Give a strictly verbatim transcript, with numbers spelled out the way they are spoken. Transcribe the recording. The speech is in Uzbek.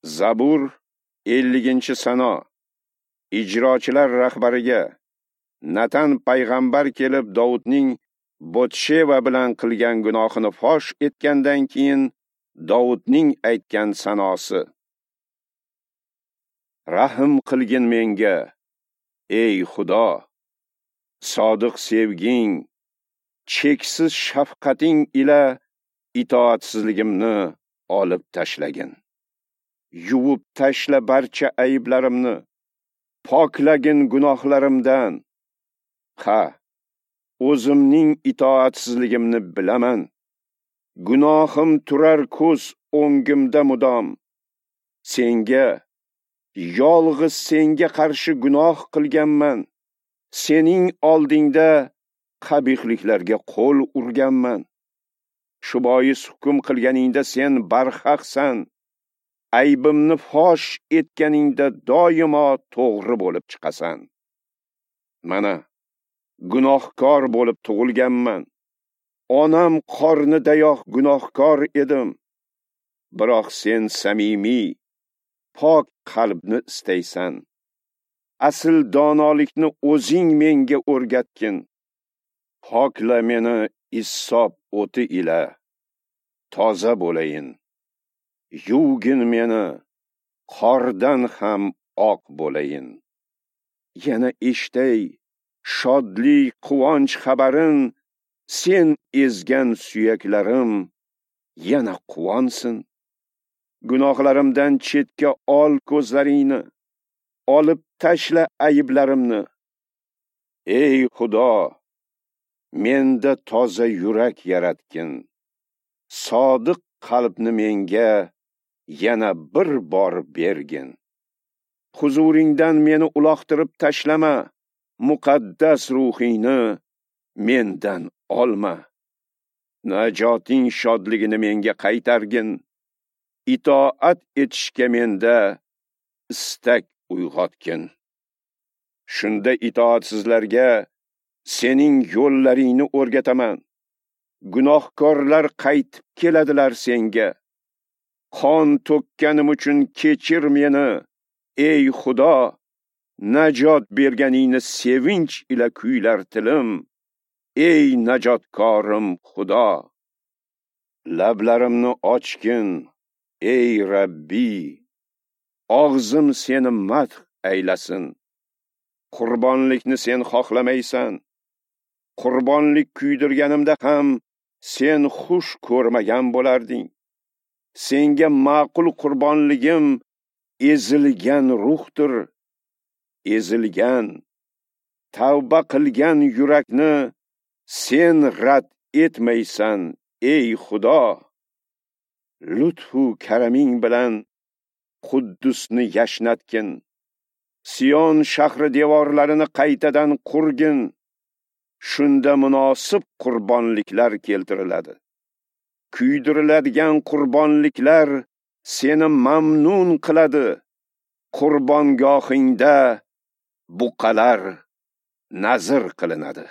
Zabur elliginchi sano. Ijrochilar rahbariga Natan payg'ambar kelib Dovudning Botsheva bilan qilgan gunohini fosh etgandan keyin Dovudning aytgan sanosi. Rahm qilgin menga, ey Xudo, sodiq sevging, cheksiz shafqating ila itoatsizligimni olib tashlagin. Yuvib tashla barcha ayblarimni, poklagin gunohlarimdan. Ha, o'zimning itoatsizligimni bilaman. Gunohim turar ko'z o'ngimda mudom. Senga, yolg'iz senga qarshi gunoh qilganman. Sening oldingda qabihliklarga qo'l urganman. Shu bois hukm qilganingda sen barhaqsan. Aybimni fosh etganingda doimo to'g'ri bo'lib chiqasan. Mana, gunohkor bo'lib tug'ilganman. Onam qornidayoq gunohkor edim. Biroq sen samimiy, pok qalbni istaysan. Asl donolikni o'zing menga o'rgatgin. Pokla meni issob o'ti ila, toza bo'layin. Yuvgin meni, qordan ham oq bo'layin. Yana eshitay shodlik, quvonch xabarin, sen ezgan suyaklarim yana quvonsin. Gunohlarimdan chetga ol ko'zlaringni, olib tashla ayblarimni. Ey Xudo, menda toza yurak yaratgin. Sodiq qalbni menga yana bir bor bergin. Huzuringdan meni uloqtirib tashlama, muqaddas ruhingni mendan olma. Najoting shodligini menga qaytargin. Itoat etishga menda istak uyg'otgin. Shunda itoatsizlarga sening yo'llaringni o'rgataman. Gunohkorlar qaytib keladilar senga. Qon to'kkanim uchun kechir meni, ey Xudo. Najot berganingni sevinch ila kuylar tilim, ey najotkorim Xudo. Lablarimni ochgin, ey Rabbi, og'zim seni madh aylasin. Qurbonlikni sen xohlamaysan. Qurbonlik kuydirganimda ham sen xush ko'rmagan bo'larding. Senga ma'qul qurbonligim ezilgan ruhdir. Ezilgan, tavba qilgan yurakni sen rad etmaysan, ey Xudo. Lutfu karaming bilan Quddusni yashnatgin. Sion shahri devorlarini qaytadan qurgin. Shunda munosib qurbonliklar keltiriladi. Kuydiriladigan qurbonliklar seni mamnun qiladi. Qurbongohingda buqalar nazr qilinadi.